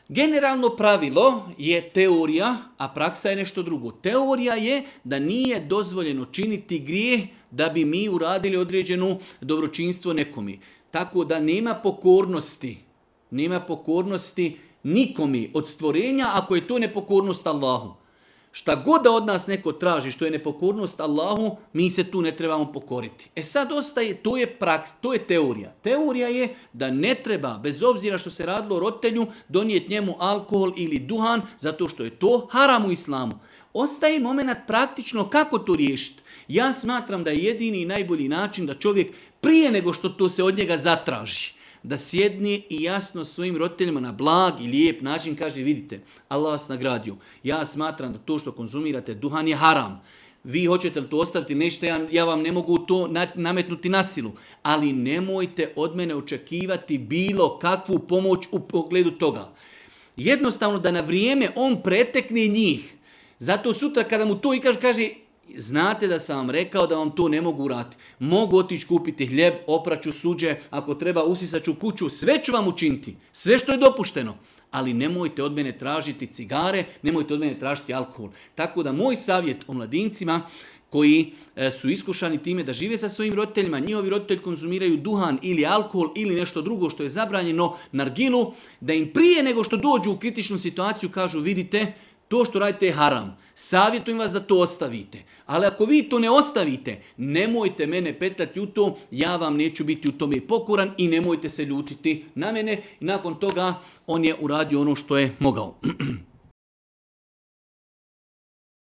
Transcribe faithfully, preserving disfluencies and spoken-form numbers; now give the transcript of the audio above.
Generalno pravilo je teorija, a praksa je nešto drugo. Teorija je da nije dozvoljeno činiti grijeh da bi mi uradili određeno dobročinstvo nekome. Tako da nema pokornosti, nema pokornosti nikomi od stvorenja ako je to nepokornost Allahu. Šta god da od nas neko traži što je nepokornost Allahu, mi se tu ne trebamo pokoriti. E sad ostaje, to je praks, to je teorija. Teorija je da ne treba, bez obzira što se radilo o roditelju, donijeti njemu alkohol ili duhan, zato što je to haram u islamu. Ostaje moment praktično kako to riješiti. Ja smatram da je jedini i najbolji način da čovjek prije nego što to se od njega zatraži, da sjedne i jasno svojim roditeljima na blag i lijep način kaže, vidite, Allah vas nagradio. Ja smatram da to što konzumirate duhan je haram. Vi hoćete li to ostaviti, nećete, ja, ja vam ne mogu to nametnuti na silu. Ali nemojte od mene očekivati bilo kakvu pomoć u pogledu toga. Jednostavno da na vrijeme on pretekne njih. Zato sutra kada mu to i kaže, kaže, znate da sam vam rekao da vam to ne mogu uraditi. Mogu otići kupiti hljeb, opraću suđe, ako treba usisaću kuću, sve ću vam učiniti. Sve što je dopušteno. Ali nemojte od mene tražiti cigare, nemojte od mene tražiti alkohol. Tako da moj savjet o mladincima koji su iskušani time da žive sa svojim roditeljima, njihovi roditelji konzumiraju duhan ili alkohol ili nešto drugo što je zabranjeno, nargilu, da im prije nego što dođu u kritičnu situaciju kažu, vidite, to što radite je haram. Savjetujem vas da to ostavite. Ali ako vi to ne ostavite, nemojte mene petljati u to, ja vam neću biti u tome pokoran i nemojte se ljutiti na mene. I nakon toga on je uradio ono što je mogao.